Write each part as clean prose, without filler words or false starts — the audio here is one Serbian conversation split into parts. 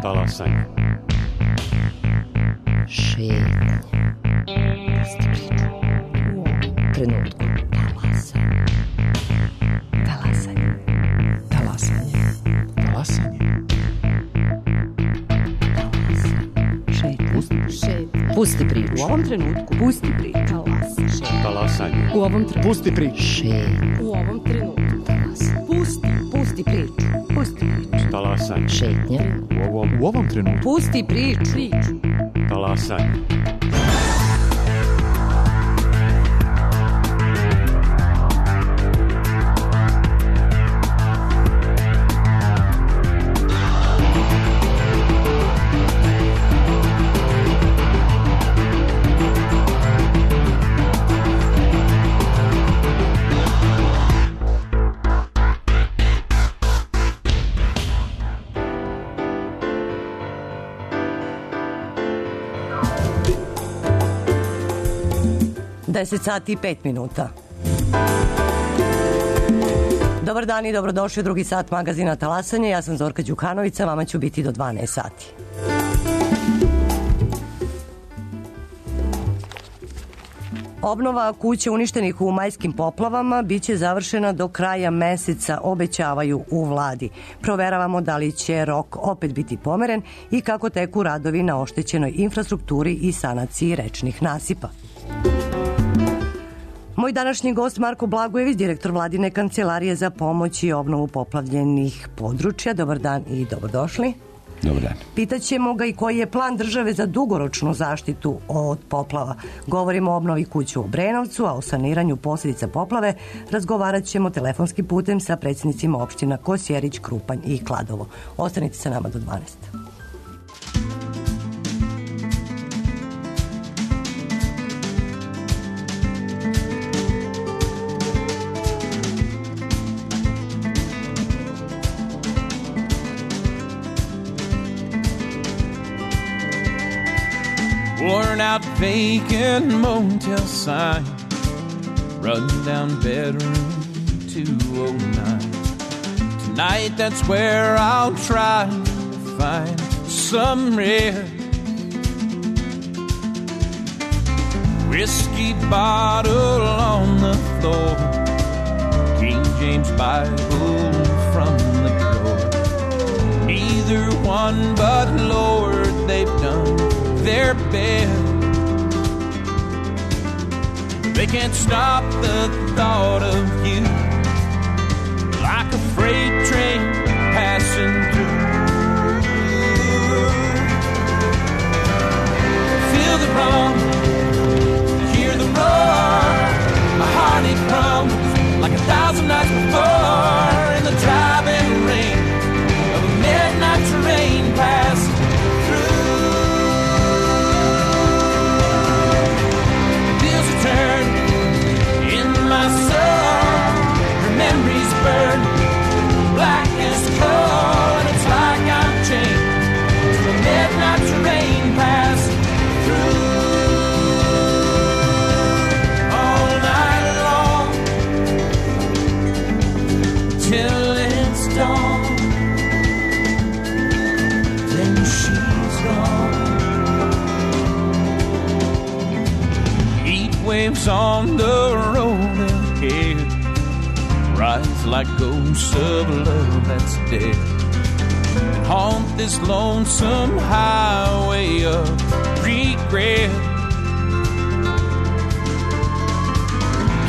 Talasanje. Šetnja. Pusti priču. U ovom trenutku. Talasanje. Talasanje. Talasanje. Šetnja. Pusti priču. U ovom trenutku. Pusti priču. Talasanje. U ovom trenutku. Pusti priču. Šetnja. U ovom trenutku. Pusti priču. Pusti priču. Talasanje. Šetnja. U ovom trenutku. Pusti priču. Talasanje. Deset sati i 5 minuta. Dobar dan i dobrodošli u drugi sat magazina Talasanje. Ja sam Zorka Đukanović, vama ću biti do 12 sati. Obnova kuće uništenih u majskim poplavama biće završena do kraja meseca, obećavaju u vladi. Proveravamo da li će rok opet biti pomeren i kako teku radovi na oštećenoj infrastrukturi i sanaciji rečnih nasipa. Moj današnji gost Marko Blagojević, direktor Vladine kancelarije za pomoć i obnovu poplavljenih područja. Dobar dan i dobrodošli. Dobar dan. Pitaćemo ga i koji je plan države za dugoročnu zaštitu od poplava. Govorimo o obnovi kuću u Obrenovcu, a o saniranju posljedica poplave razgovarat ćemo telefonskim putem sa predsjednicima opština Kosjerić, Krupanj i Kladovo. Ostanite sa nama do 12. Worn out vacant motel sign, run down bedroom 209. Tonight that's where I'll try to find some rest. Whiskey bottle on the floor, King James Bible from the drawer. Neither one but Lord, they've done their best. They can't stop the thought of you, like a freight train passing through. Feel the wrong, hear the roar. My heart it crumbles like 1,000 nights before in the driving rain of a midnight train passing. My soul, her memories burn black as coal, and it's like I'm chained to a midnight train passing through all night long till it's dawn. Then she's gone. Heat waves on the road rise like ghosts of love that's dead and haunt this lonesome highway of regret.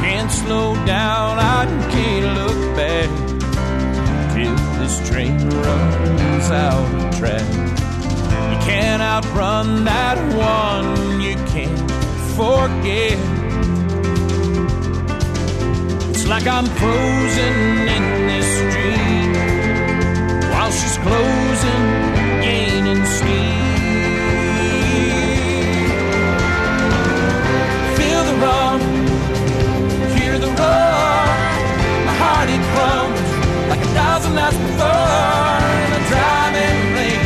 Can't slow down, I can't look back till this train runs out of track. You can't outrun that one you can't forget. Like I'm frozen in this dream while she's closing, gaining speed. Feel the wrong, hear the roar. My heart it crumbles like 1,000 nights before in a driving rain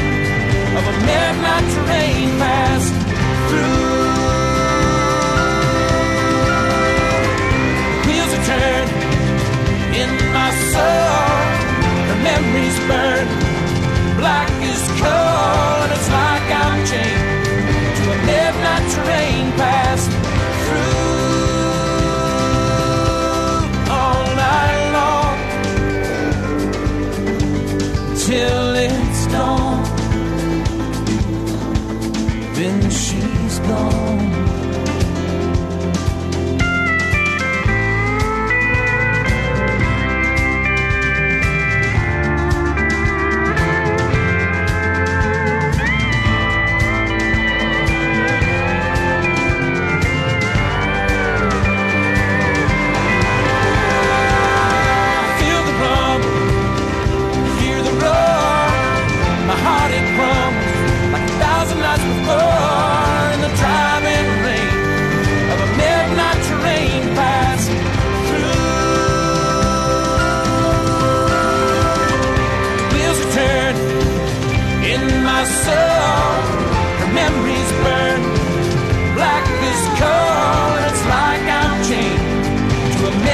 of a midnight train passed through. Turn in my soul, her memories burn black as coal.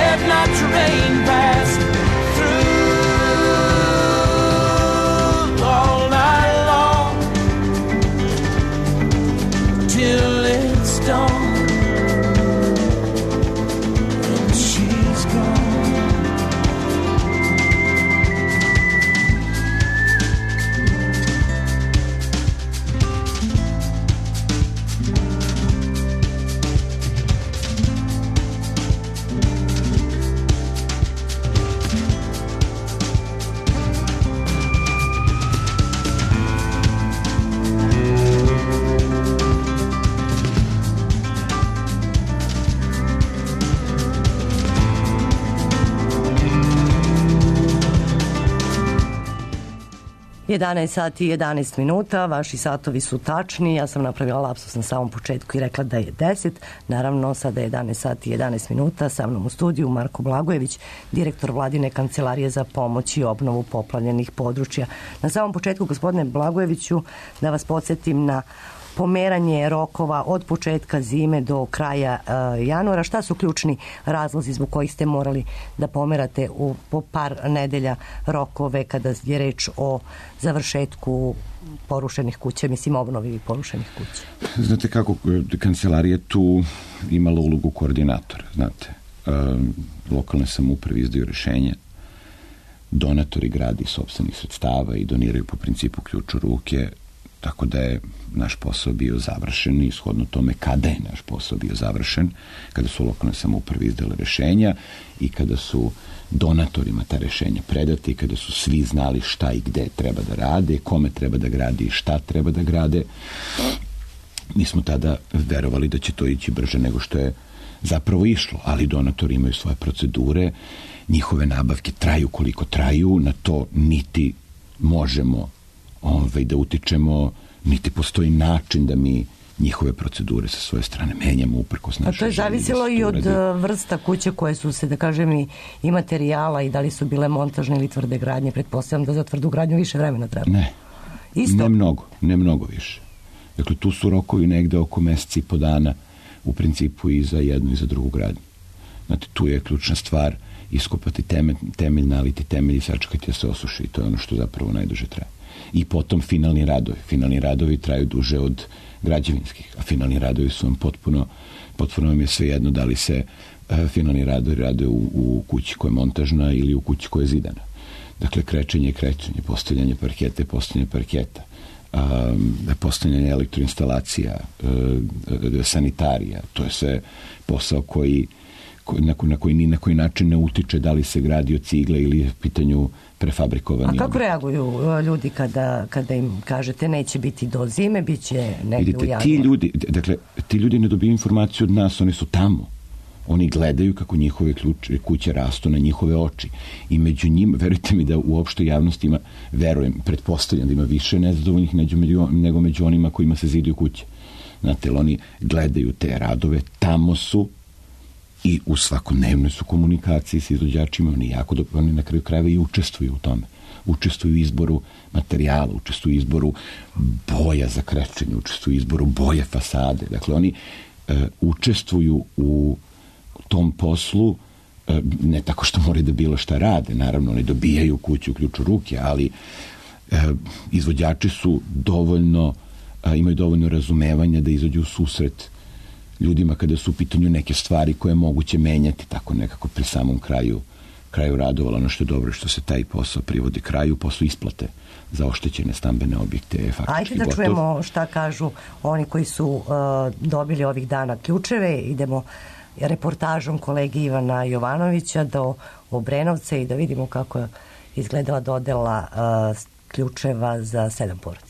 midnight train passed through all night long till it's dawn. Jedanaest sati i 11 minuta, vaši satovi su tačni, ja sam napravila lapsus na samom početku i rekla da je 10, naravno sada je 11 sati i 11 minuta, sa mnom u studiju Marko Blagojević, direktor Vladine kancelarije za pomoć i obnovu poplavljenih područja. Na samom početku, gospodine Blagojeviću, da vas podsjetim na pomeranje rokova od početka zime do kraja januara. Šta su ključni razlozi zbog kojih ste morali da pomerate po par nedelja rokove kada je reč o završetku porušenih kuća, mislim obnovi porušenih kuća? Znate kako, kancelarija tu imala ulogu koordinatora, znate. Lokalne samouprave izdaju rešenja, donatori gradi sopstvenih sredstava i doniraju po principu ključ u ruke, tako da je naš posao bio završen i shodno tome kada je naš posao bio završen, kada su lokalne samouprave izdale rešenja i kada su donatorima ta rešenja predate i kada su svi znali šta i gde treba da rade, kome treba da gradi i šta treba da grade. Mi smo tada verovali da će to ići brže nego što je zapravo išlo, ali donatori imaju svoje procedure, njihove nabavke traju koliko traju, na to niti možemo da utičemo, niti postoji način da mi njihove procedure sa svoje strane menjamo uprkos naše želje. A to je zavisilo i od vrsta kuće koje su se, da kažem, i materijala i da li su bile montažne ili tvrde gradnje. Pretpostavljam da za tvrdu gradnju više vremena treba. Ne, isto? Ne mnogo više. Dakle, tu su rokovi negde oko meseci i po dana u principu i za jednu i za drugu gradnju. Znate, tu je ključna stvar iskopati temelj, naliti temelj i sačekati da se osuši. I to je ono što zapravo najduže traje. I potom finalni radovi. Finalni radovi traju duže od građevinskih, a finalni radovi su vam potpuno vam je sve jedno da li se finalni radovi rade u kući koja je montažna ili u kući koja je zidana. Dakle, krečenje, postavljanje parketa, postavljanje elektroinstalacija, sanitarija, to je sve posao na koji ni na koji način ne utiče da li se gradi od cigle ili je pitanju prefabrikovani. A kako reaguju ljudi kada im kažete neće biti do zime, bit će negdje u januaru? Ti ljudi ne dobiju informaciju od nas, oni su tamo. Oni gledaju kako njihove kuće rastu na njihove oči. I među njima, verujte mi da u opštoj javnosti ima, pretpostavljam da ima više nezadovoljnih nego među onima kojima se zidaju kuće. Znate, oni gledaju te radove, tamo su i u svakodnevnoj su komunikaciji s izvođačima, oni na kraju krajeva i učestvuju u tome. Učestvuju u izboru materijala, učestvuju u izboru boja za krečenje, učestvuju u izboru boje fasade. Dakle, oni učestvuju u tom poslu, ne tako što moraju da bilo šta rade, naravno, oni dobijaju kuću, ključ u ruke, ali izvođači su imaju dovoljno razumevanja da izađu u susret ljudima kada su u pitanju neke stvari koje je moguće menjati, tako nekako pri samom kraju radovalo. Ono što je dobro što se taj posao privodi kraju, posao isplate za oštećene stambene objekte je faktički gotov. Ajde da čujemo šta kažu oni koji su dobili ovih dana ključeve. Idemo reportažom kolege Ivana Jovanovića do Obrenovca i da vidimo kako je izgledala dodela ključeva za 7 porodica.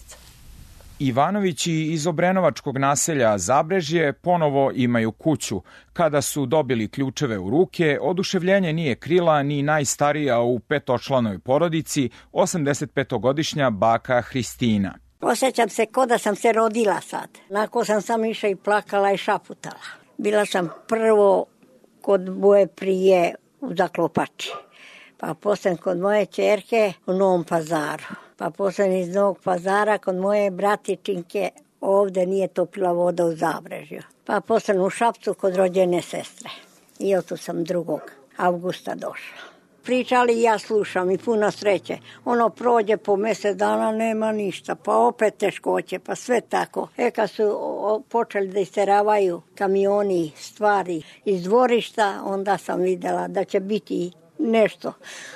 Ivanovići iz obrenovačkog naselja Zabrežje ponovo imaju kuću. Kada su dobili ključeve u ruke, oduševljenje nije krila ni najstarija u 5-članoj porodici, 85-godišnja baka Hristina. Osjećam se ko da sam se rodila sad. Nakon sam išla i plakala i šaputala. Bila sam prvo kod moje prije u Zaklopači, pa posle kod moje ćerke u Novom Pazaru. Pa posle iz Novog Pazara kod moje bratičinke ovde nije topila voda u Zabrežju. Pa posle u Šapcu kod rođene sestre. I oto sam drugog. avgusta došla. Pričali i ja slušam i puno sreće. Ono prođe po mjesec dana, nema ništa, pa opet teškoće, pa sve tako. Kad su počeli da isteravaju kamioni, stvari iz dvorišta, onda sam vidjela da će biti nešto.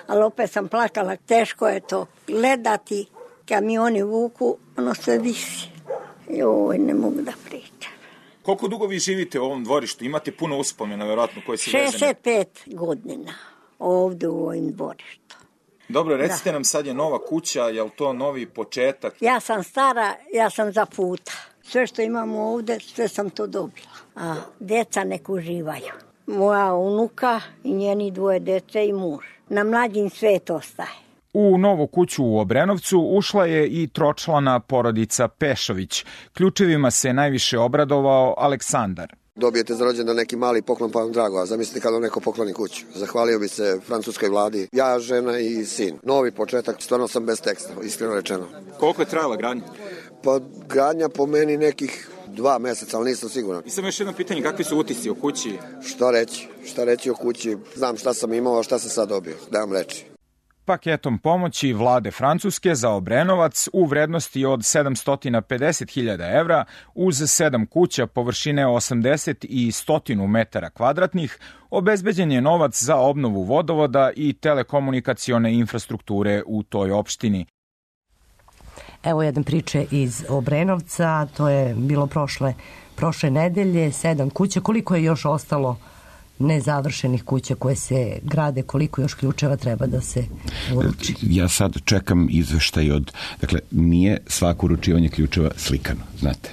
Ali opet sam plakala, teško je to gledati, kamioni vuku, ono sve visi. Joj, ne mogu da pričam. Koliko dugo vi živite u ovom dvorištu? Imate puno uspomena, vjerojatno, koje su vezane? 65 godina ovdje u ovim dvorištu. Dobro, recite nam, sad je nova kuća, je li to novi početak? Ja sam stara, ja sam za puta. Sve što imamo ovdje, sve sam to dobila. A djeca nek uživaju. Moja unuka i njeni 2 djece i muž. Na mlađim svet ostaje. U novu kuću u Obrenovcu ušla je i tročlana porodica Pešović. Ključevima se najviše obradovao Aleksandar. Dobijete za rođendan neki mali poklon, pa vam drago, a zamislite kada vam neko pokloni kuću. Zahvalio bi se francuskoj vladi, ja, žena i sin. Novi početak, stvarno sam bez teksta, iskreno rečeno. Koliko je trajala gradnja? Pa gradnja po meni nekih 2 mjeseca, ali nisam siguran. I samo još jedno pitanje, kakvi su utisci o kući? Šta reći o kući? Znam šta sam imao, a šta sam sad dobio, da vam reći. Paketom pomoći vlade Francuske za Obrenovac u vrednosti od 750.000 evra uz 7 kuća površine 80 i 100 metara kvadratnih obezbeđen je novac za obnovu vodovoda i telekomunikacione infrastrukture u toj opštini. Evo jedan priče iz Obrenovca, to je bilo prošle nedelje, 7 kuća. Koliko je još ostalo nezavršenih kuća koje se grade, koliko još ključeva treba da se uruči? Ja sad čekam izveštaj dakle, nije svako uručivanje ključeva slikano, znate.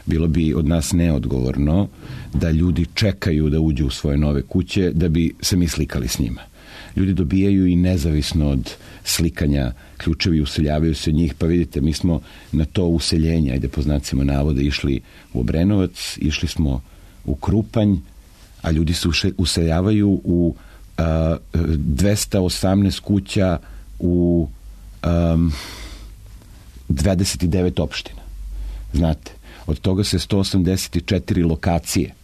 Bilo bi od nas neodgovorno da ljudi čekaju da uđu u svoje nove kuće da bi se mi slikali s njima. Ljudi dobijaju i nezavisno od slikanja ključevi, useljavaju se od njih, pa vidite, mi smo na to useljenje, ajde po znacima navoda, išli u Obrenovac, išli smo u Krupanj, a ljudi se useljavaju u 218 kuća u 29 opština. Znate, od toga se 184 lokacije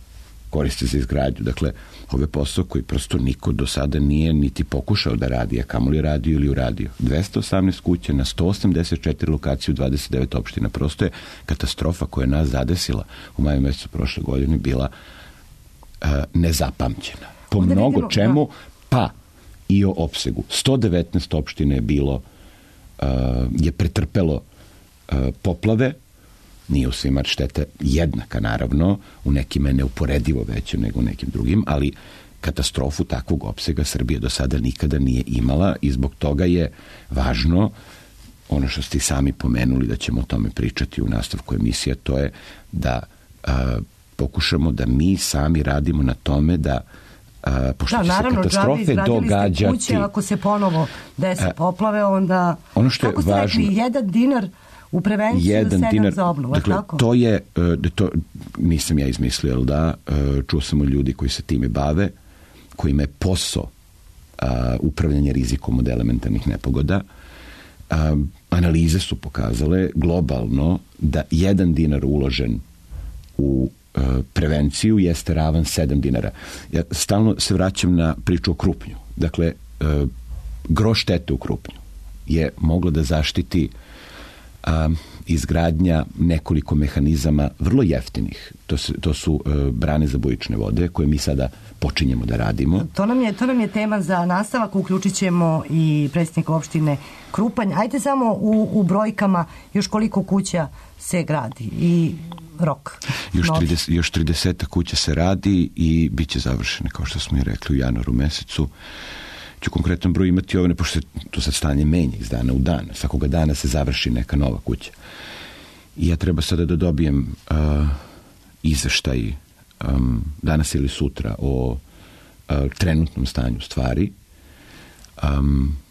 koriste za izgradnju. Dakle, ovo je posao koji prosto niko do sada nije niti pokušao da radi, a kamoli radio ili uradio. 218 kuća na 184 lokacije u 29 opština. Prosto je katastrofa koja je nas zadesila u maju mjesecu prošle godine bila nezapamćena. Po mnogo čemu, pa i o opsegu. 119 opština je bilo, je pretrpelo poplave, nije u svima šteta jednaka, naravno, u nekima je neuporedivo veće nego u nekim drugim, ali katastrofu takvog opsega Srbija do sada nikada nije imala i zbog toga je važno, ono što ste sami pomenuli, da ćemo o tome pričati u nastavku emisija, to je da pokušamo da mi sami radimo na tome da pošto će se katastrofe događati. Kuće, ako se ponovo desi poplave, onda ono što je kako ste važno, rekli, $1 u prevenciju, 7 za obnovu. Dakle, tako? to je, to nisam ja izmislio, ali da, čuo sam od ljudi koji se time bave, kojima je posao upravljanje rizikom od elementarnih nepogoda. Analize su pokazale globalno da $1 uložen u prevenciju jeste ravan $7. Ja stalno se vraćam na priču o Krupnju. Dakle, gro štete u Krupnju je moglo da zaštiti izgradnja nekoliko mehanizama vrlo jeftinih. To su brane za bujične vode koje mi sada počinjemo da radimo. To nam je tema za nastavak. Uključit ćemo i predsjednika opštine Krupanj. Ajde samo u brojkama još koliko kuća se gradi i rok. Još 30 kuća se radi i bit će završene, kao što smo i rekli, u januaru mesecu. Ću konkretan broj imati ovne, pošto to sad stanje menja iz dana u dan. Svakoga dana se završi neka nova kuća. I ja treba sada da dobijem izveštaj danas ili sutra o trenutnom stanju stvari.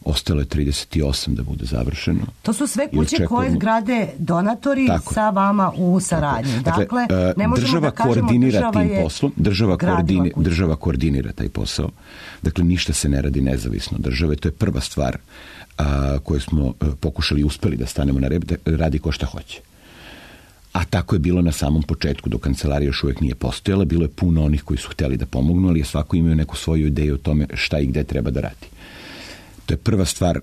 Ostalo je 38 da bude završeno. To su sve kuće koje grade donatori sa vama u saradnji. Dakle, ne možemo da kažemo država je država koordinira taj posao. Dakle, ništa se ne radi nezavisno države. To je prva stvar koju smo pokušali i uspeli da stanemo na rep, da radi ko šta hoće. a tako je bilo na samom početku, dok kancelarija još uvek nije postojala, bilo je puno onih koji su hteli da pomognu, ali je svako imao neku svoju ideju o tome šta i gde treba da radi. To je prva stvar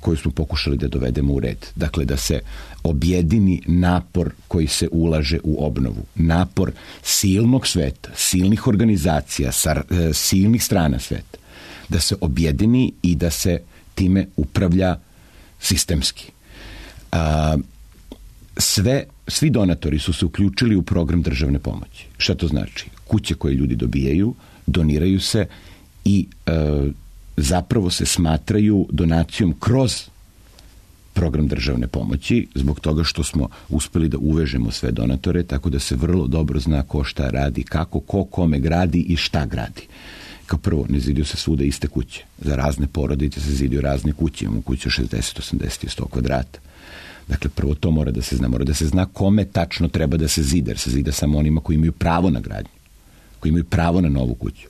koju smo pokušali da dovedemo u red. Dakle, da se objedini napor koji se ulaže u obnovu. Napor silnog sveta, silnih organizacija, silnih strana sveta. Da se objedini i da se time upravlja sistemski. Svi donatori su se uključili u program državne pomoći. Šta to znači? Kuće koje ljudi dobijaju, doniraju se i zapravo se smatraju donacijom kroz program državne pomoći, zbog toga što smo uspeli da uvežemo sve donatore, tako da se vrlo dobro zna ko šta radi, kako, ko kome gradi i šta gradi. Kao prvo, ne zidio se svuda iste kuće. Za razne porodice se zidio razne kuće. Imamo kuće 60, 80 i 100 kvadrata. Dakle, prvo to mora da se zna. Mora da se zna kome tačno treba da se zida, jer se zida samo onima koji imaju pravo na gradnju, koji imaju pravo na novu kuću.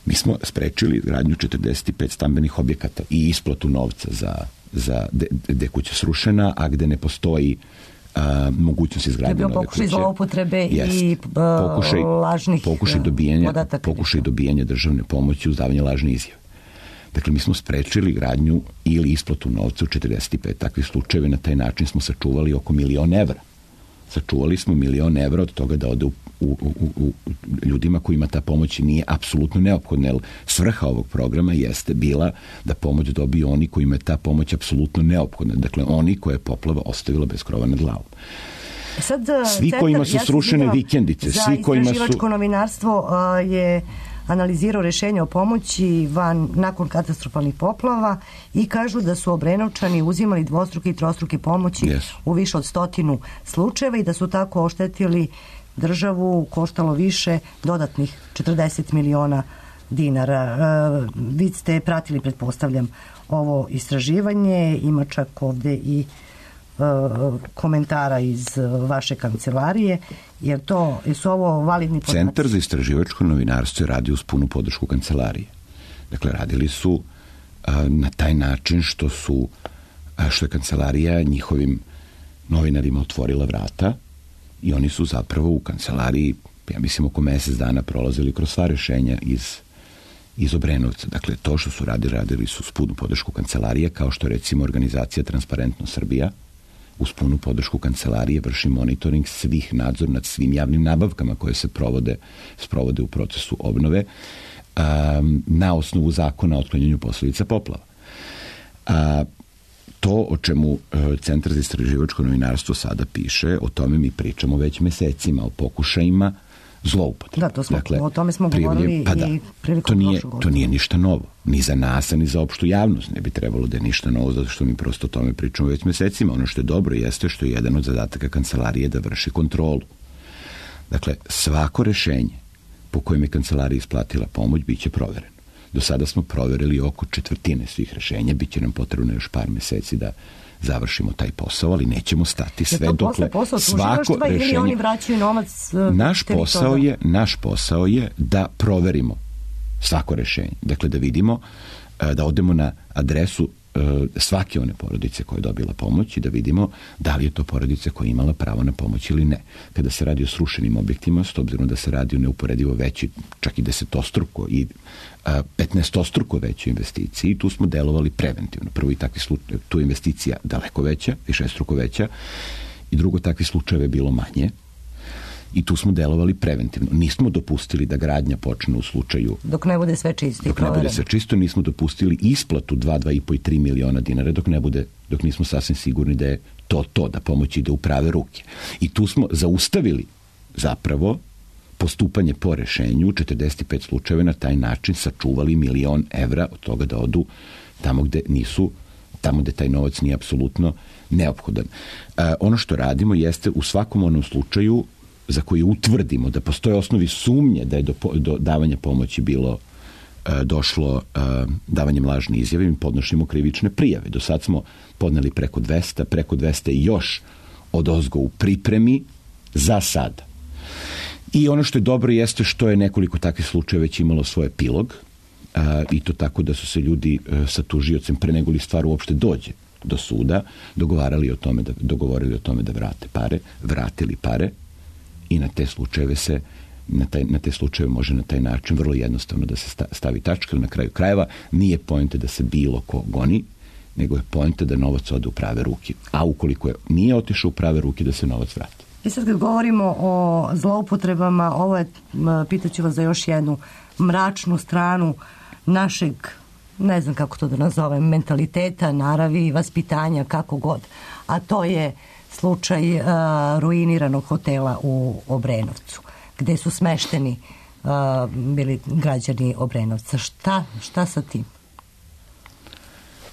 Mi smo sprečili gradnju 45 stambenih objekata i isplatu novca za gde je kuća srušena, a gde ne postoji mogućnost izgradnje nove kuće. Pokušaj zloupotrebe i lažnih podataka. Pokušaj dobijanja državne pomoći uz davanje lažne izjave. Dakle, mi smo sprečili gradnju ili isplatu novca u 45 takvih slučajeva. Na taj način smo sačuvali oko 1.000.000 evra. Sačuvali smo 1.000.000 evra od toga da ode u ljudima kojima ta pomoć nije apsolutno neophodna. Jer svrha ovog programa jeste bila da pomoć dobiju oni kojima je ta pomoć apsolutno neophodna. Dakle, oni koje je poplava ostavila bez krova nad glavom. Svi kojima su srušene vikendice, svi kojima su... Za istraživačko novinarstvo je analizirao rešenje o pomoći nakon katastrofalnih poplava i kažu da su Obrenovčani uzimali dvostruke i trostruke pomoći u više od 100 slučajeva i da su tako oštetili državu, koštalo više dodatnih 40 miliona dinara. Vi ste pratili, pretpostavljam, ovo istraživanje, ima čak ovde i komentara iz vaše kancelarije, jer su ovo validni podaci? Centar za istraživačko novinarstvo je radio uz punu podršku kancelarije. Dakle, radili su na taj način što je kancelarija njihovim novinarima otvorila vrata i oni su zapravo u kancelariji, ja mislim, oko mesec dana prolazili kroz sva rešenja iz Obrenovca. Dakle, to što su radili su uz punu podršku kancelarije, kao što recimo organizacija Transparentno Srbija uz punu podršku kancelarije vrši monitoring svih, nadzor nad svim javnim nabavkama koje se sprovode u procesu obnove na osnovu zakona o otklanjanju posledica poplava. To o čemu Centar za istraživačko novinarstvo sada piše, o tome mi pričamo već mesecima, o pokušajima zloupotrebe. O tome smo govorili i prilikom prošle godine. To nije ništa novo. Ni za nas, ni za opštu javnost ne bi trebalo da je ništa novo, zato što mi prosto o tome pričamo već mesecima. Ono što je dobro jeste što je jedan od zadataka kancelarije da vrši kontrolu. Dakle, svako rešenje po kojem je kancelarija isplatila pomoć biće provereno. Do sada smo proverili oko 1/4 svih rešenja, biće nam potrebno još par meseci da završimo taj posao, ali nećemo stati sve dokle svako rešenje... Ili oni vraćaju novac Naš posao je da proverimo svako rešenje. Dakle, da vidimo, da odemo na adresu svake one porodice koja je dobila pomoć i da vidimo da li je to porodica koja je imala pravo na pomoć ili ne. Kada se radi o srušenim objektima, s obzirom da se radi o neuporedivo veći, čak i 10-struko i 15-struko većoj investiciji, tu smo delovali preventivno. Prvo i takvi slučaj, tu je investicija daleko veća, višestruko veća, i drugo, takvi slučajeve je bilo manje. I tu smo delovali preventivno. Nismo dopustili da gradnja počne u slučaju... Dok ne bude sve čisto. Dok ne bude sve čisto, nismo dopustili isplatu 2,5 i 3 miliona dinara dok nismo sasvim sigurni da je to, da pomoć ide u prave ruke. I tu smo zaustavili zapravo postupanje po rešenju 45 slučajeva, na taj način sačuvali 1.000.000 evra od toga da odu tamo gde taj novac nije apsolutno neophodan. Ono što radimo jeste u svakom onom slučaju za koji utvrdimo da postoje osnovi sumnje da je do davanja pomoći došlo davanjem lažne izjave, mi podnošimo krivične prijave. Do sad smo podneli preko 200 i još odozgo u pripremi za sada. I ono što je dobro jeste što je nekoliko takvih slučajeva već imalo svoj epilog, i to tako da su se ljudi sa tužiocem pre nego li stvar uopšte dođe do suda, dogovorili o tome da vrate pare, vratili pare i na te slučajeve na te slučajeve može na taj način vrlo jednostavno da se stavi tačka. Na kraju krajeva nije poenta da se bilo ko goni, nego je poenta da novac ode u prave ruke. A ukoliko nije otišao u prave ruke, da se novac vrati. I sad kad govorimo o zloupotrebama, ovo je, pitaću vas za još jednu mračnu stranu našeg, ne znam kako to da nazovem, mentaliteta, naravi, vaspitanja, kako god. A to je slučaj ruiniranog hotela u Obrenovcu, gde su smešteni bili građani Obrenovca. Šta sa tim?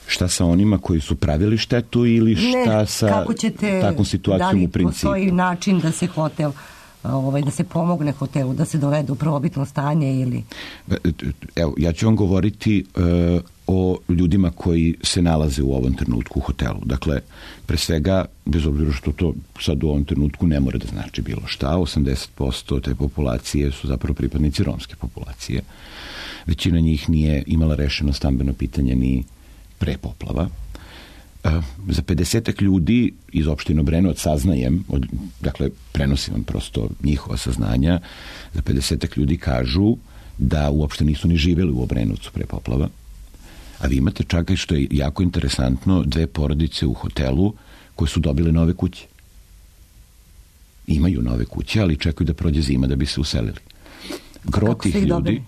Šta sa onima koji su pravili štetu ili šta sa takvom situacijom u principu? Da li postoji način da se hotel, da se pomogne hotelu, da se dovede u prvobitno stanje ili... Evo, ja ću vam govoriti o ljudima koji se nalaze u ovom trenutku u hotelu. Dakle, pre svega, bez obzira što to sad u ovom trenutku ne mora da znači bilo šta, 80% te populacije su zapravo pripadnici romske populacije. Većina njih nije imala rešeno stambeno pitanje ni pre poplava. Za 50 ljudi iz opštine Obrenovac saznajem, dakle prenosim vam prosto njihova saznanja, za 50 ljudi kažu da uopšte nisu ni živjeli u Obrenovcu pre poplava. A vi imate čak i što je jako interesantno, 2 porodice u hotelu koje su dobile nove kuće. Imaju nove kuće, ali čekaju da prođe zima da bi se uselili. Gro tih ljudi...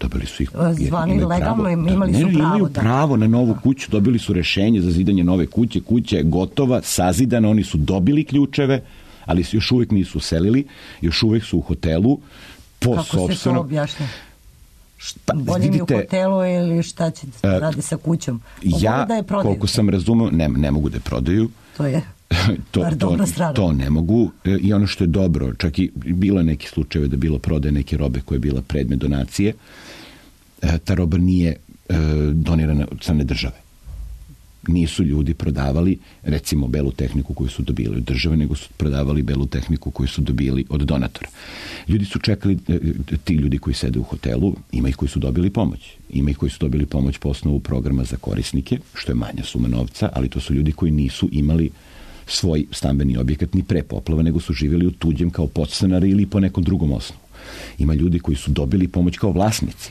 Dobili su ih. Zvani legalno, imali su pravo. Imaju pravo na novu kuću, dobili su rešenje za zidanje nove kuće, kuća je gotova, sazidana, oni su dobili ključeve, ali se još uvijek nisu uselili, još uvijek su u hotelu po sopstvenom... Kako se to objašnja? Bolje mi u hotelu ili šta će radi sa kućom? Ja, koliko sam razumeo, ne mogu da je prodaju. To je... To ne mogu i ono što je dobro, čak i bilo je neki slučajeve da bilo prodaje neke robe koja je bila predmet donacije, ta roba nije donirana od strane države. Nisu ljudi prodavali recimo belu tehniku koju su dobili od države, nego su prodavali belu tehniku koju su dobili od donatora. Ljudi su čekali, ti ljudi koji sede u hotelu, ima ih koji su dobili pomoć. Ima ih koji su dobili pomoć po osnovu programa za korisnike, što je manja suma novca, ali to su ljudi koji nisu imali svoj stambeni objekat ni pre poplava, nego su živjeli u tuđem kao podstanari ili po nekom drugom osnovu. Ima ljudi koji su dobili pomoć kao vlasnici.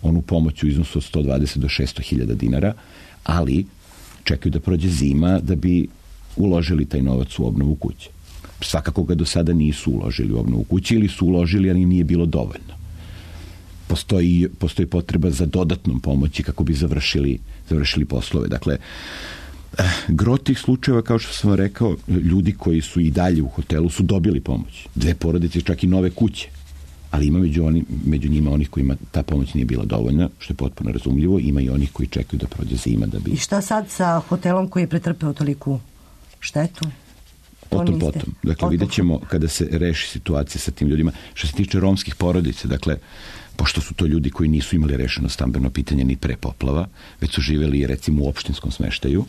Onu pomoć u iznosu od 120 do 600 hiljada dinara, ali čekaju da prođe zima da bi uložili taj novac u obnovu kuće. Svakako ga do sada nisu uložili u obnovu kuće ili su uložili, ali nije bilo dovoljno. Postoji potreba za dodatnom pomoći kako bi završili poslove. Dakle, gro tih slučajeva, kao što sam rekao, ljudi koji su i dalje u hotelu su dobili pomoć. 2 porodice, čak i nove kuće. Ali ima među njima onih kojima ta pomoć nije bila dovoljna, što je potpuno razumljivo. Ima i onih koji čekaju da prođe zima da bi... I šta sad sa hotelom koji je pretrpeo toliku štetu? Potom. Dakle, vidjet ćemo kada se reši situacija sa tim ljudima. Što se tiče romskih porodica, dakle, pošto su to ljudi koji nisu imali rešeno stambeno pitanje ni pre poplava, već su živjeli recimo u opštinskom smeštaju,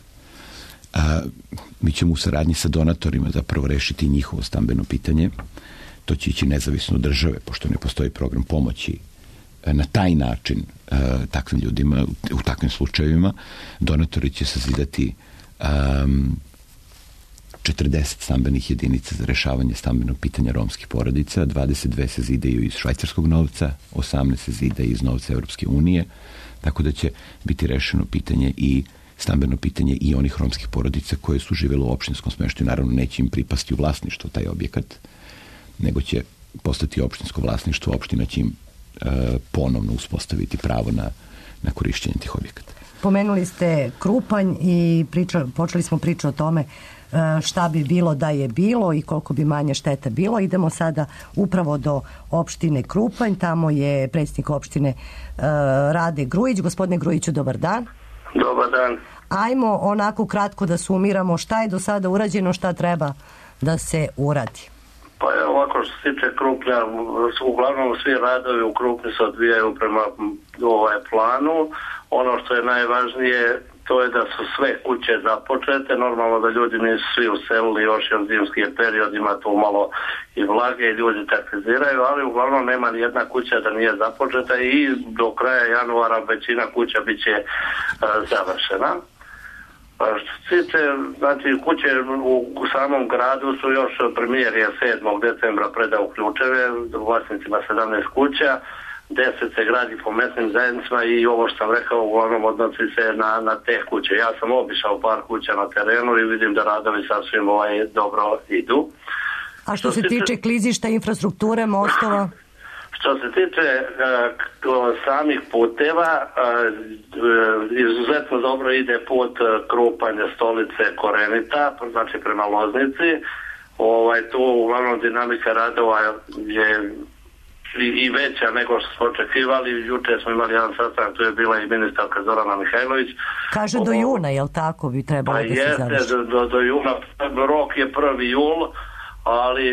mi ćemo u saradnji sa donatorima zapravo rešiti njihovo stambeno pitanje. To će ići nezavisno od države, pošto ne postoji program pomoći na taj način takvim ljudima, u takvim slučajevima. Donatori će sazidati 40 stambenih jedinica za rešavanje stambenog pitanja romskih porodica, 22 se zidaju iz švajcarskog novca, 18 se zida iz novca Evropske unije, tako da će biti rešeno pitanje i stambeno pitanje i onih romskih porodica koje su živjeli u opštinskom smeštaju. Naravno, neće im pripasti u vlasništvo taj objekat, nego će postati opštinsko vlasništvo, opština će im ponovno uspostaviti pravo na korišćenje tih objekata. Pomenuli ste Krupanj i počeli smo priču o tome šta bi bilo da je bilo i koliko bi manje šteta bilo. Idemo sada upravo do opštine Krupanj, tamo je predsjednik opštine Rade Grujić. Gospodine Grujiću, dobar dan. Dobar dan. Ajmo onako kratko da sumiramo šta je do sada urađeno, šta treba da se uradi. Pa evo ovako što se tiče Krupnja, uglavnom svi radovi u Krupnju se odvijaju prema planu. Ono što je najvažnije to je da su sve kuće započete. Normalno da ljudi nisu svi uselili još jer zimski je period, ima tu malo i vlage i ljudi taktiziraju, ali uglavnom nema ni jedna kuća da nije započeta i do kraja januara većina kuća bit će završena. Što se tiče, znači, kuće u samom gradu su još premijer je 7. decembra predao ključeve vlasnicima 17 kuća, 10 se gradi po mesnim zajednicama i ovo što sam rekao uglavnom odnosi se na te kuće. Ja sam obišao par kuća na terenu i vidim da radovi sasvim dobro idu. A što se tiče klizišta, infrastrukture, mostova? Što se tiče samih puteva, izuzetno dobro ide put Krupanje, Stolice, Korenita, znači prema Loznici. Tu uglavnom dinamika radova je i veća nego što smo očekivali. Juče smo imali jedan sastanak, tu je bila i ministarka Zorana Mihajlović. Kaže do juna, jel tako bi trebalo da se završi? Do juna, rok je 1. jul, ali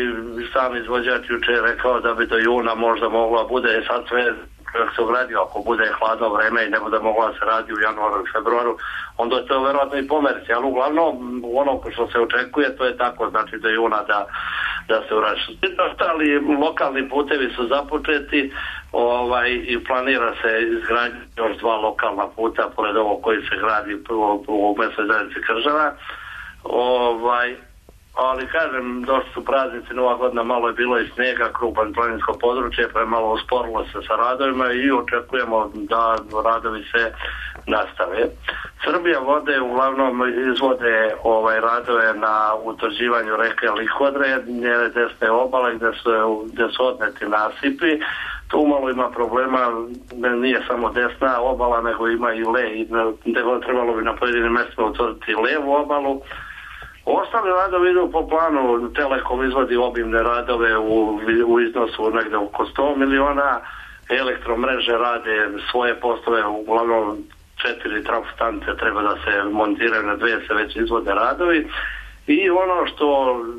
sam izvođač juče je rekao da bi do juna možda mogla bude sad sve kako se ugradio, ako bude hladno vreme i ne bude mogla se radi u januaru i februaru, onda je to verovatno i pomerci, ali uglavnom ono što se očekuje to je tako, znači do juna da se uraši. Ostali lokalni putevi su započeti i planira se izgradnja još 2 lokalna puta pored ovog koji se gradi u mesnoj zajednici Kržava. Ali kažem, došli su praznici, Nova godina, malo je bilo i snijega, Krupanj planinsko područje, pa je malo usporilo se sa radovima i očekujemo da radovi se nastave. Srbija vode uglavnom izvode radove na utvrđivanju reke Lihodre, njene desne obale gde su odneti nasipi. Tu malo ima problema, nije samo desna obala, nego ima i le, trebalo bi na pojedinim mjestima utvrditi levu obalu. Ostali radovi idu po planu, Telekom izvodi obimne radove u iznosu negde oko 100 miliona, elektromreže rade svoje poslove, uglavnom 4 trafostanice treba da se montiraju, na 2 se već izvode radovi. I ono što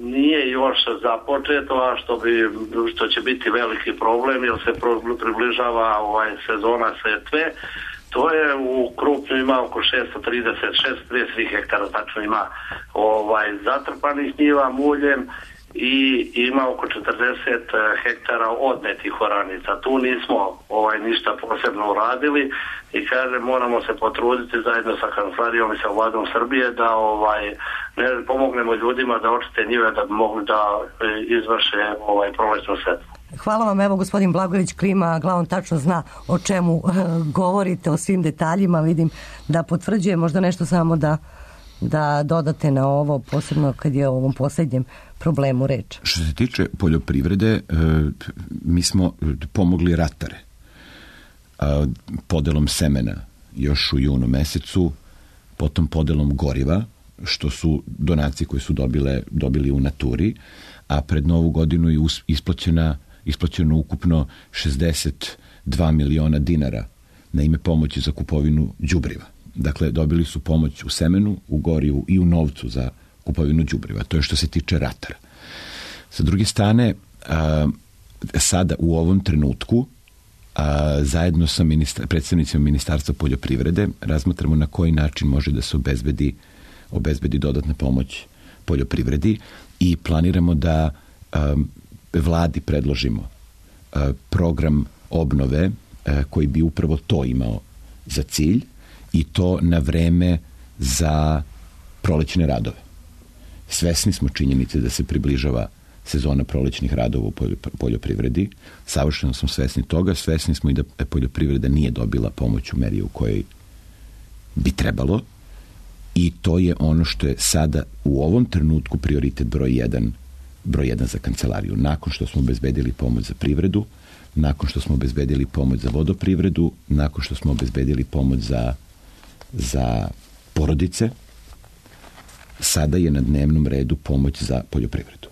nije još započeto, a što će biti veliki problem, jer se približava sezona setve, to je u Krupnju ima oko 630 hektara, tačno ima zatrpanih njiva muljem i ima oko 40 hektara odnetih oranica. Tu nismo ništa posebno uradili i kažem, moramo se potruditi zajedno sa kancelarijom i sa vladom Srbije da ne pomognemo ljudima da očiste njive da bi mogli da izvrše prolećnu setvu. Hvala vam, evo gospodin Blagojević klima glavom, tačno zna o čemu govorite, o svim detaljima, vidim da potvrđuje, možda nešto samo da dodate na ovo, posebno kad je o ovom posljednjem problemu reč. Što se tiče poljoprivrede, mi smo pomogli ratare podelom semena još u junu mesecu, potom podelom goriva, što su donacije koje su dobili u naturi, a pred Novu godinu je isplaćeno ukupno 62 miliona dinara na ime pomoći za kupovinu đubriva. Dakle, dobili su pomoć u semenu, u gorivu i u novcu za kupovinu đubriva. To je što se tiče ratara. Sa druge strane, sada u ovom trenutku, zajedno sa predstavnicima Ministarstva poljoprivrede razmatramo na koji način može da se obezbedi dodatna pomoć poljoprivredi i planiramo da vladi predložimo program obnove koji bi upravo to imao za cilj i to na vreme za prolećne radove. Svesni smo činjenice da se približava sezona prolećnih radova u poljoprivredi. Savršeno smo svesni toga. Svesni smo i da poljoprivreda nije dobila pomoć u meri u kojoj bi trebalo i to je ono što je sada u ovom trenutku prioritet broj 1 za kancelariju. Nakon što smo obezbedili pomoć za privredu, nakon što smo obezbedili pomoć za vodoprivredu, nakon što smo obezbedili pomoć za porodice, sada je na dnevnom redu pomoć za poljoprivredu.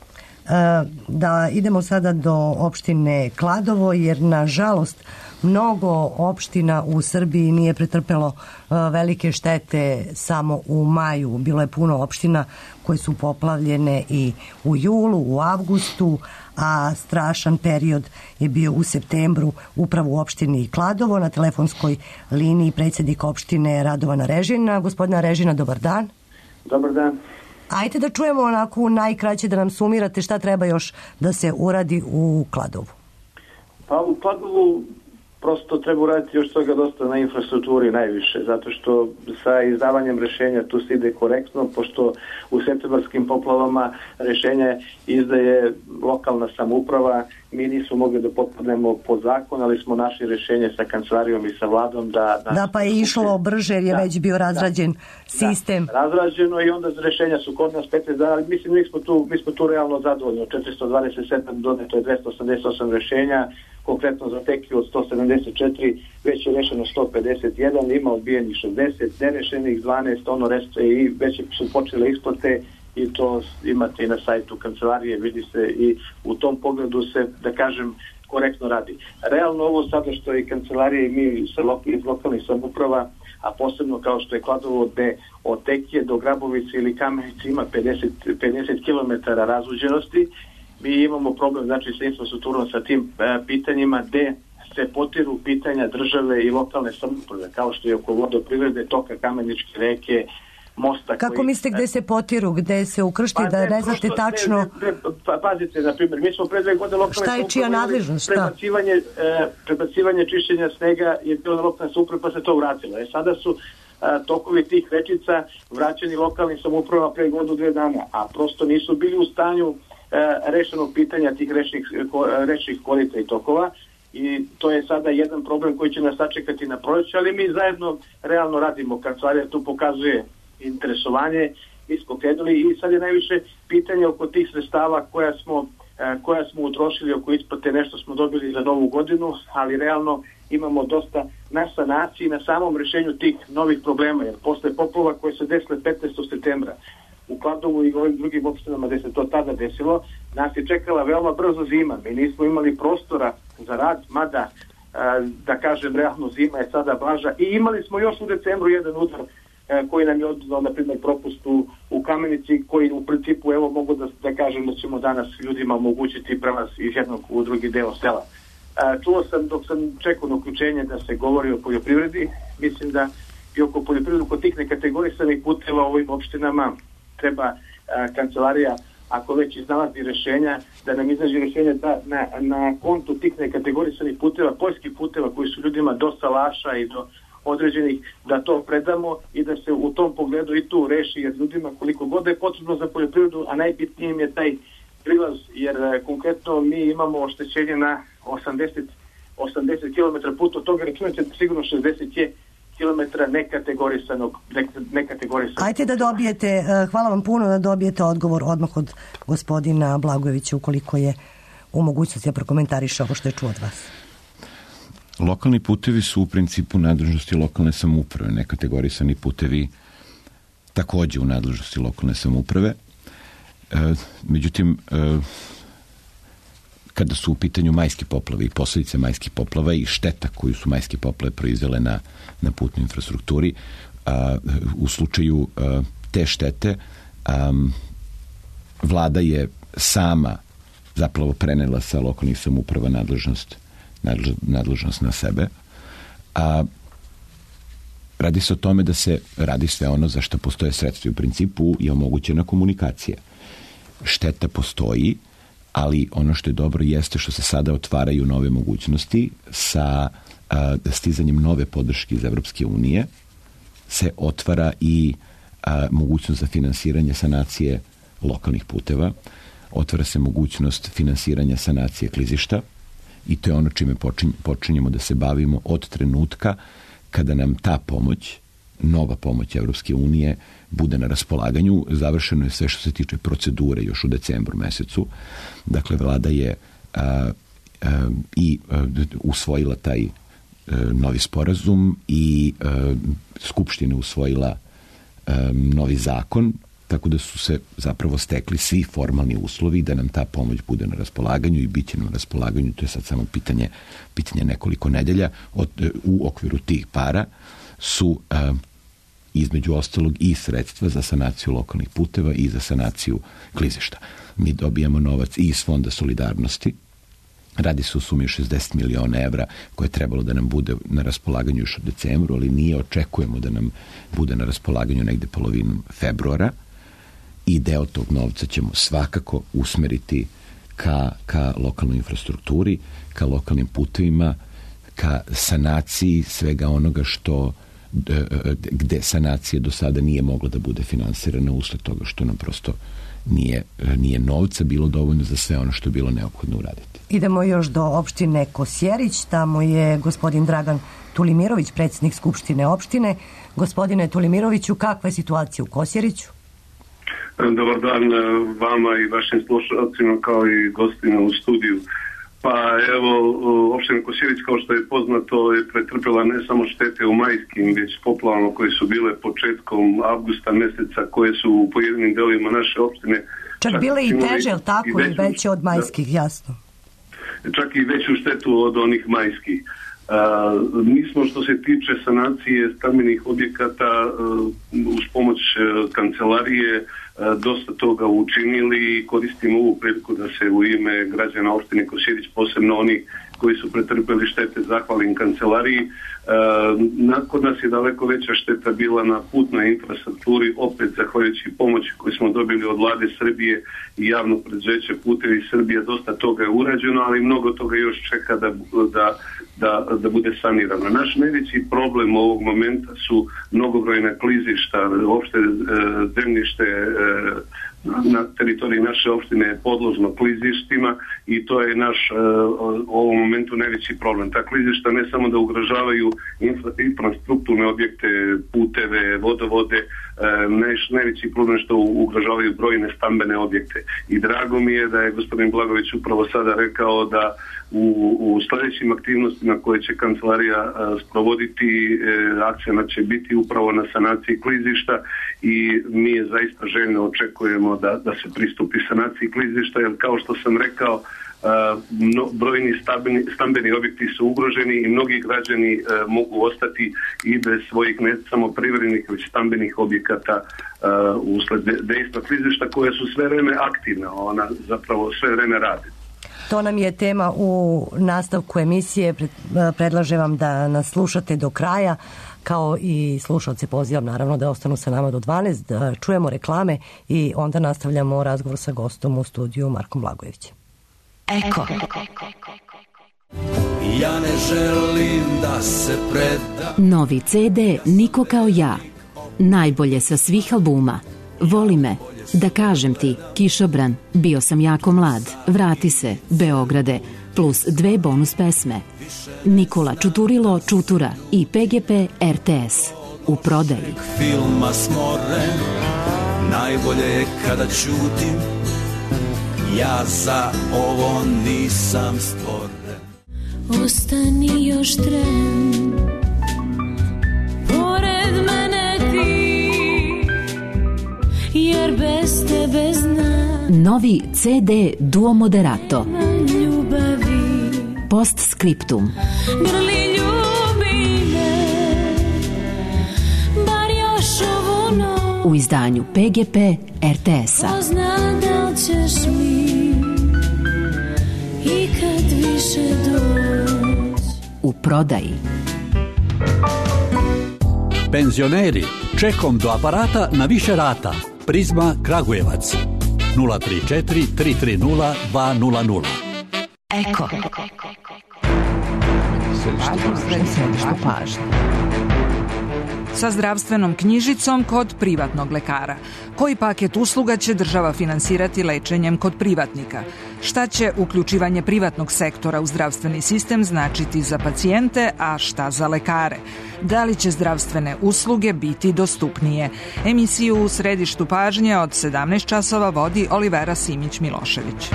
Da idemo sada do opštine Kladovo, jer nažalost mnogo opština u Srbiji nije pretrpelo velike štete samo u maju. Bilo je puno opština koje su poplavljene i u julu, u avgustu, a strašan period je bio u septembru upravo u opštini Kladovo. Na telefonskoj liniji predsjednik opštine Radovana Režina. Gospodina Režina, dobar dan. Dobar dan. Ajde da čujemo onako najkraće da nam sumirate šta treba još da se uradi u Kladovu. Pa u Kladovu prosto treba uraditi još toga dosta na infrastrukturi najviše, zato što sa izdavanjem rešenja tu se ide korektno, pošto u septembarskim poplavama rešenje izdaje lokalna samouprava, mi nismo mogli da potpadnemo pod zakon, ali smo našli rešenje sa kancelarijom i sa vladom da pa je išlo brže jer je već bio razrađen sistem. Razrađeno i onda rešenja su kod nas 15 dana, ali mislim mi smo tu realno zadovoljni. Od 427 doneto je 288 rešenja, konkretno za Tekiju od 174, već je rešeno 151, ima odbijenih 60, nerešenih 12, ono reste i već su počele isplate i to imate i na sajtu kancelarije, vidi se i u tom pogledu se, da kažem, korektno radi. Realno ovo sada što je kancelarija i mi iz lokalnih samouprava, a posebno kao što je Kladovo gde od Tekije do Grabovice ili Kamenice ima 50 km razuđenosti, mi imamo problem znači sa infrastrukturom, sa tim pitanjima gde se potiru pitanja države i lokalne samouprave, kao što je oko vodoprivrede, toka Kameničke reke, mosta. Kako mislite gde se potiru, gde se ukršti, da ne znate tačno? Pazite, na primjer, mi smo pre 2 godine lokalne samouprave... Šta je čija nadležnost? Prebacivanje čišćenja snega je bilo na lokalne samouprave, pa se to vratilo. Sada su tokovi tih rečica vraćeni lokalnim samoupravama pre 1-2 dana, a prosto nisu bili u stanju rešenog pitanja tih rečnih korita i tokova i to je sada jedan problem koji će nas sačekati na proleće, ali mi zajedno realno radimo. Kancelarija tu pokazuje interesovanje, mi smo krenuli i sad je najviše pitanje oko tih sredstava koja smo utrošili oko isplate, nešto smo dobili za novu godinu, ali realno imamo dosta na sanaciji, na samom rešenju tih novih problema, jer posle poplava koje se desile 15. septembra u Kladovu i ovim drugim opštinama gde se to tada desilo, nas je čekala veoma brzo zima. Mi nismo imali prostora za rad, mada, da kažem, realno zima je sada blaža i imali smo još u decembru jedan udar koji nam je odnao, na primjer, propust u Kamenici, koji u principu, evo, mogu da kažem da ćemo danas ljudima omogućiti prelaz iz jednog u drugi deo sela. Čuo sam, dok sam čekao na uključenje da se govori o poljoprivredi, mislim da i oko poljoprivredi, oko tih nekategorisanih puteva u ovim opštinama treba kancelarija, ako već iznalazi rešenja, da nam iznađe rešenja da na kontu tih nekategorisanih puteva, poljskih puteva koji su ljudima do salaša i do određenih, da to predamo i da se u tom pogledu i tu reši, jer ljudima koliko god je potrebno za poljoprivredu, a najbitnijim je taj prilaz, jer konkretno mi imamo oštećenje na 80 km puta, od toga računate sigurno 60 je kilometra nekategorisanog. Ajte da dobijete, hvala vam puno, da dobijete odgovor odmah od gospodina Blagojevića, ukoliko je u mogućnosti da prokomentariše ovo što je čuo od vas. Lokalni putevi su u principu nadležnosti lokalne samouprave, nekategorisani putevi takođe u nadležnosti lokalne samouprave. Međutim, kada su u pitanju majske poplave i posledice majskih poplava i šteta koju su majske poplave proizvele na putnoj infrastrukturi, u slučaju te štete vlada je sama zapravo prenela sa lokalnih samouprava nadležnost na sebe. Radi se o tome da se radi sve ono za što postoje sredstva. U principu je omogućena komunikacija. Šteta postoji, ali ono što je dobro jeste što se sada otvaraju nove mogućnosti sa stizanjem nove podrške iz Evropske unije se otvara i mogućnost za finansiranje sanacije lokalnih puteva, otvara se mogućnost finansiranja sanacije klizišta i to je ono čime počinjemo da se bavimo od trenutka kada nam ta pomoć, nova pomoć Evropske unije, bude na raspolaganju. Završeno je sve što se tiče procedure još u decembru mesecu. Dakle, vlada je i usvojila taj novi sporazum i Skupština usvojila novi zakon, tako da su se zapravo stekli svi formalni uslovi da nam ta pomoć bude na raspolaganju i bit će na raspolaganju. To je sad samo pitanje nekoliko nedelja. U okviru tih para su između ostalog i sredstva za sanaciju lokalnih puteva i za sanaciju klizišta. Mi dobijamo novac i iz Fonda solidarnosti. Radi se u sumi 60 miliona evra koje je trebalo da nam bude na raspolaganju još u decembru, ali nije, očekujemo da nam bude na raspolaganju negde polovinom februara i deo tog novca ćemo svakako usmeriti ka lokalnoj infrastrukturi, ka lokalnim putevima, ka sanaciji svega onoga što gde sanacija do sada nije mogla da bude finansirana usled toga što nam prosto nije novca bilo dovoljno za sve ono što je bilo neophodno uraditi. Idemo još do opštine Kosjerić, tamo je gospodin Dragan Tulimirović, predsjednik Skupštine opštine. Gospodine Tulimiroviću, kakva je situacija u Kosjeriću? Dobar dan vama i vašim slušalcima kao i gostima u studiju. Pa evo, opština Kosjerić, kao što je poznato, je pretrpjela ne samo štete u majskim, već poplavama koje su bile početkom avgusta meseca, koje su u pojedinim delima naše opštine čak bile i teže, ali tako, i veće od majskih, jasno. Čak i veću štetu od onih majskih. Mi smo, što se tiče sanacije stambenih objekata, uz pomoć kancelarije dosta toga učinili i koristimo ovu priliku da se u ime građana opštine Kosjerić, posebno oni koji su pretrpeli štete, zahvalim kancelariji. Kod nas je daleko veća šteta bila na putnoj infrastrukturi, opet zahvaljujući pomoći koju smo dobili od vlade Srbije i javnog preduzeća Putevi Srbije. Dosta toga je urađeno, ali mnogo toga još čeka da bude sanirano. Naš najveći problem ovog momenta su mnogobrojna klizišta, opšte zemljište na teritoriji naše opštine je podložno klizištima i to je naš u ovom momentu najveći problem. Ta klizišta ne samo da ugrožavaju infrastrukturne objekte, puteve, vodovode, najveći problem što ugrožavaju brojne stambene objekte. I drago mi je da je gospodin Blagović upravo sada rekao da u sledećim aktivnostima koje će kancelarija sprovoditi, akcija će biti upravo na sanaciji klizišta i mi je zaista željno očekujemo da se pristupi sanaciji klizišta, jer kao što sam rekao, brojni stambeni objekti su ugroženi i mnogi građani mogu ostati i bez svojih ne samo privrednih već stambenih objekata usled dejstva klizišta koje su sve vreme aktivne, ona zapravo sve vreme radi. To nam je tema u nastavku emisije. Predlažem vam da nas slušate do kraja, kao i slušalce pozivam naravno da ostanu sa nama do 12, da čujemo reklame i onda nastavljamo razgovor sa gostom u studiju Markom Blagojevićem. Eko. Ja ne želim da se predam. Novi CD Niko kao ja. Najbolje sa svih albuma. Voli me, da kažem ti, Kišobran, Bio sam jako mlad, Vrati se, Beograde, plus 2 bonus pesme. Nikola Čuturilo Čutura i PGP RTS. U prodaji. Filma smoren, najbolje je kada ćutim, ja za ovo nisam stvoren. Ostani još tren, pored mene ti, jer bez tebe znam. Novi CD Duo Moderato. Ljubavi. Postscriptum. Grli ljubi me, bar još ovu noć. U izdanju PGP RTS-a. Ko zna da li ćeš mi ikad više doći. U prodaji. Penzioneri, čekom do aparata na više rata. Prizma Kragujevac 034 330 200. Eko. Središte pažnje. Sa zdravstvenom knjižicom kod privatnog lekara. Koji paket usluga će država finansirati lečenjem kod privatnika? Šta će uključivanje privatnog sektora u zdravstveni sistem značiti za pacijente, a šta za lekare? Da li će zdravstvene usluge biti dostupnije? Emisiju u središtu pažnje od 17 časova vodi Olivera Simić-Milošević.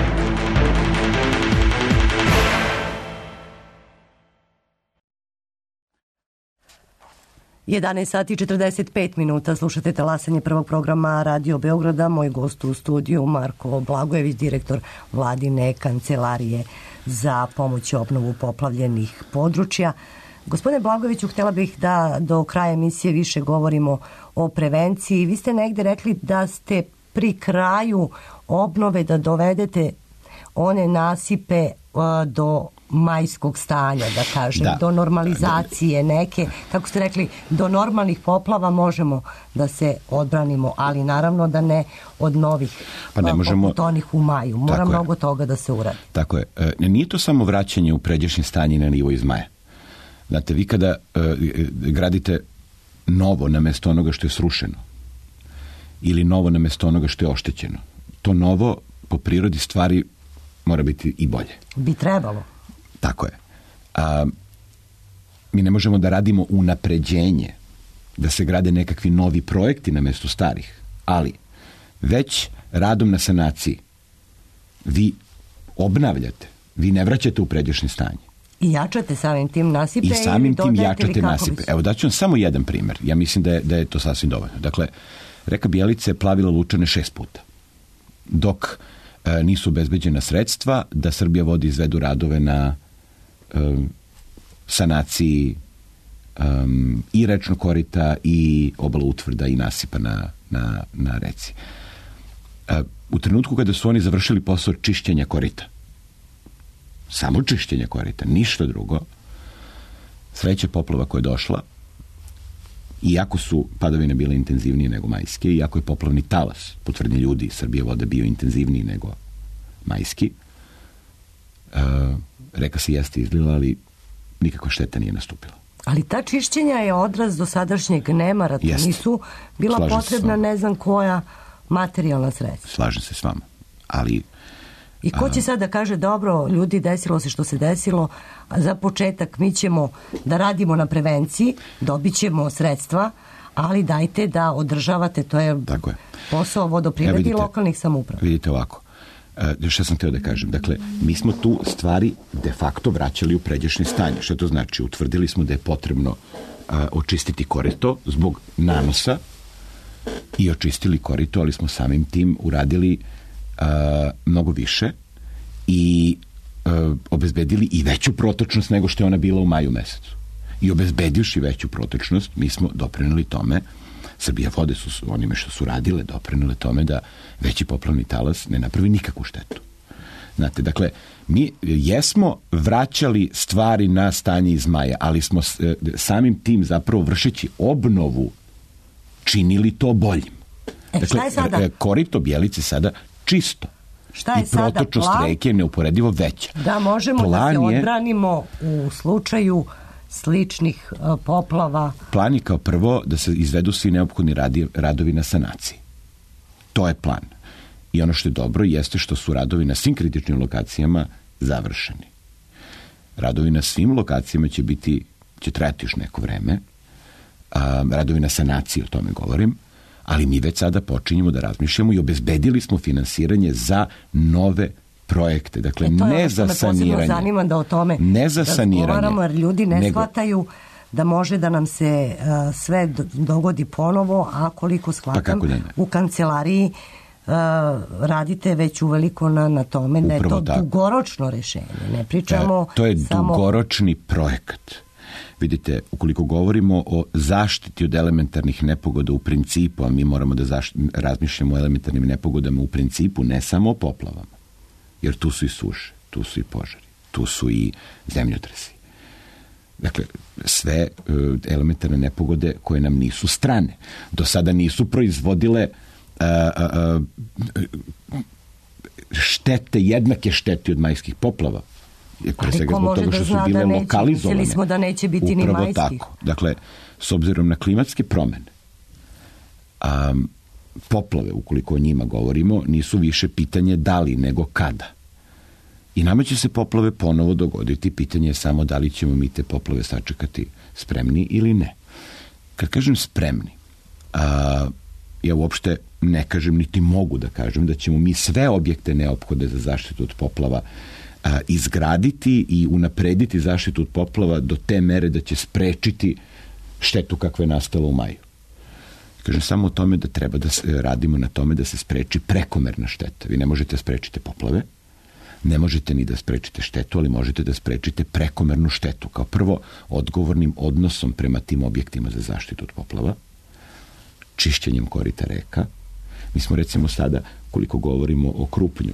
11 sati 45 minuta, slušate talasanje prvog programa Radio Beograda. Moj gost u studiju Marko Blagojević, direktor vladine kancelarije za pomoć i obnovu poplavljenih područja. Gospodine Blagojeviću, htjela bih da do kraja emisije više govorimo o prevenciji. Vi ste negde rekli da ste pri kraju obnove, da dovedete one nasipe do majskog stanja, da kažem, do normalizacije neke, kako ste rekli, do normalnih poplava možemo da se odbranimo, ali naravno da ne od novih poput onih u maju. Mora mnogo toga da se uradi. Tako je. Nije to samo vraćanje u pređašnje stanje na nivo iz maja. Znate, vi kada gradite novo na mesto onoga što je srušeno ili novo na mesto onoga što je oštećeno, to novo po prirodi stvari mora biti i bolje. Bi trebalo. Tako je. Mi ne možemo da radimo unapređenje, da se grade nekakvi novi projekti na mesto starih, ali već radom na sanaciji vi obnavljate, vi ne vraćate u pređašnje stanje. I jačate samim tim nasipe. I samim tim jačate nasipe. Evo daću vam samo jedan primer. Ja mislim da je to sasvim dovoljno. Dakle, reka Bjelica je plavila Lučane 6 puta. Dok nisu obezbeđena sredstva da Srbija vodi izvedu radove na sanaciji i rečnog korita i obala utvrda i nasipa na reci. U trenutku kada su oni završili posao čišćenja korita, samo čišćenja korita, ništa drugo, sreća poplava koja je došla, iako su padavine bile intenzivnije nego majske, iako je poplavni talas, po tvrdnji ljudi, Srbije vode bio intenzivniji nego majski, reka se jeste izlila, ali nikakva šteta nije nastupila. Ali ta čišćenja je odraz dosadašnjeg nemara. Nisu bila potrebna ne znam koja materijalna sredstva. Slažem se s vama. Ali i ko će sad da kaže, dobro, ljudi, desilo se što se desilo, a za početak mi ćemo da radimo na prevenciji, dobit ćemo sredstva, ali dajte da održavate, to je posao vodoprivrede i lokalnih samouprava. Vidite ovako, što sam htio da kažem, dakle, mi smo tu stvari de facto vraćali u pređašnje stanje. Što to znači? Utvrdili smo da je potrebno očistiti korito zbog nanosa i očistili korito, ali smo samim tim uradili mnogo više i obezbedili i veću protočnost nego što je ona bila u maju mesecu. I obezbedivši veću protočnost, mi smo doprineli tome, Srbija vode su onime što su radile, doprinele tome da veći poplavni talas ne napravi nikakvu štetu. Znate, dakle, mi jesmo vraćali stvari na stanje iz maja, ali smo samim tim zapravo vršeći obnovu činili to boljim. Dakle, korito Bjelice sada čisto. Šta je i protočnost reke je neuporedivo veća. Da možemo da se odbranimo u slučaju sličnih poplava. Plan je kao prvo da se izvedu svi neophodni radovi na sanaciji. To je plan. I ono što je dobro jeste što su radovi na svim kritičnim lokacijama završeni. Radovi na svim lokacijama će trajati još neko vreme. Radovi na sanaciji, o tome govorim. Ali mi već sada počinjemo da razmišljamo i obezbedili smo finansiranje za nove projekte. Dakle, ne za saniranje. Me zanima da o tome ne za saniranje. Jer ljudi ne shvataju da može da nam se sve dogodi ponovo, a koliko shvatam u kancelariji radite već uveliko na tome da je to dugoročno rešenje. Ne pričamo to je dugoročni projekat. Vidite, ukoliko govorimo o zaštiti od elementarnih nepogoda u principu, a mi moramo da razmišljamo o elementarnim nepogodama u principu, ne samo o poplavama. Jer tu su i suše, tu su i požari, tu su i zemljotresi. Dakle, sve elementarne nepogode koje nam nisu strane. Do sada nisu proizvodile štete, jednake štete od majskih poplava. Pre svega zbog toga što su bile lokalizovane. Mislili smo da neće biti ni majskih. Tako. Dakle, s obzirom na klimatske promene, poplave, ukoliko o njima govorimo, nisu više pitanje da li, nego kada. I nama će se poplave ponovo dogoditi. Pitanje je samo da li ćemo mi te poplave sačekati spremni ili ne. Kad kažem spremni, ja uopšte ne kažem, niti mogu da kažem da ćemo mi sve objekte neophodne za zaštitu od poplava izgraditi i unaprediti zaštitu od poplava do te mere da će sprečiti štetu kakva je nastala u maju. Kažem samo o tome da treba da radimo na tome da se spreči prekomerna šteta. Vi ne možete sprečiti poplave, ne možete ni da sprečite štetu, ali možete da sprečite prekomernu štetu. Kao prvo, odgovornim odnosom prema tim objektima za zaštitu od poplava, čišćenjem korita reka. Mi smo recimo sada, koliko govorimo o Krupnju,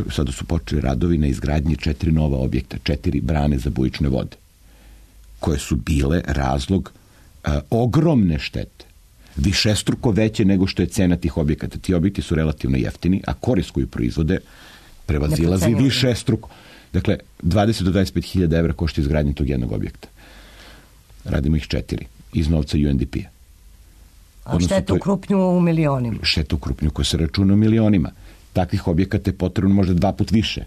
sada su počeli radovi na izgradnji 4 nova objekta, 4 brane za bujične vode, koje su bile razlog ogromne štete, višestruko veće nego što je cena tih objekata. Ti objekti su relativno jeftini, a korist koju proizvode prevazilazi višestruko. Dakle, 20 do 25 hiljada evra košta izgradnje tog jednog objekta. Radimo ih 4 iz novca UNDP-a. A šteta u Krupnju u milionima? Šteta u Krupnju koja se računa u milionima. Takvih objekata je potrebno možda 2 puta više.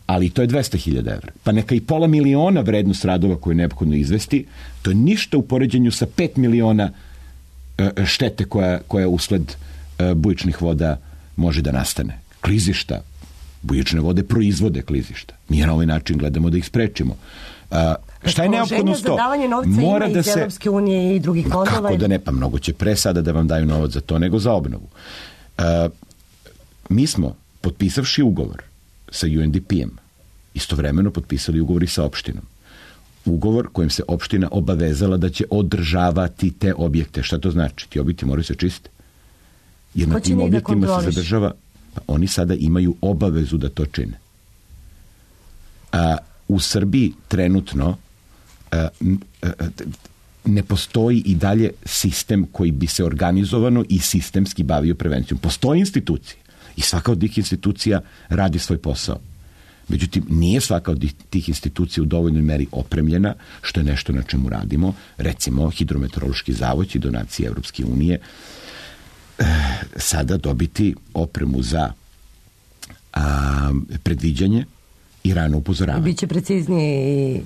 Ali to je 200.000 evra. Pa neka i pola miliona vrednost radova koju je neophodno izvesti, to je ništa u poređenju sa 5 miliona štete koja usled bujičnih voda može da nastane. Klizišta, bujične vode proizvode klizišta. Mi na ovaj način gledamo da ih sprečimo. Šta je neophodno za davanje novca mora ima iz Evropske unije i drugih fondova? Kako da ne, pa mnogo će pre sada da vam daju novac za to nego za obnovu. Mi smo, potpisavši ugovor sa UNDP-em, istovremeno potpisali ugovor i sa opštinom. Ugovor kojim se opština obavezala da će održavati te objekte. Šta to znači? Ti objekti moraju se čistiti. Jer na tim objektima se zadržava, pa oni sada imaju obavezu da to čine. U Srbiji trenutno ne postoji i dalje sistem koji bi se organizovano i sistemski bavio prevencijom. Postoje institucije i svaka od tih institucija radi svoj posao. Međutim, nije svaka od tih institucija u dovoljnoj meri opremljena, što je nešto na čemu radimo. Recimo, Hidrometeorološki zavod će donacije Evropske unije sada dobiti opremu za predviđanje i rano upozoravanje. Biće preciznije.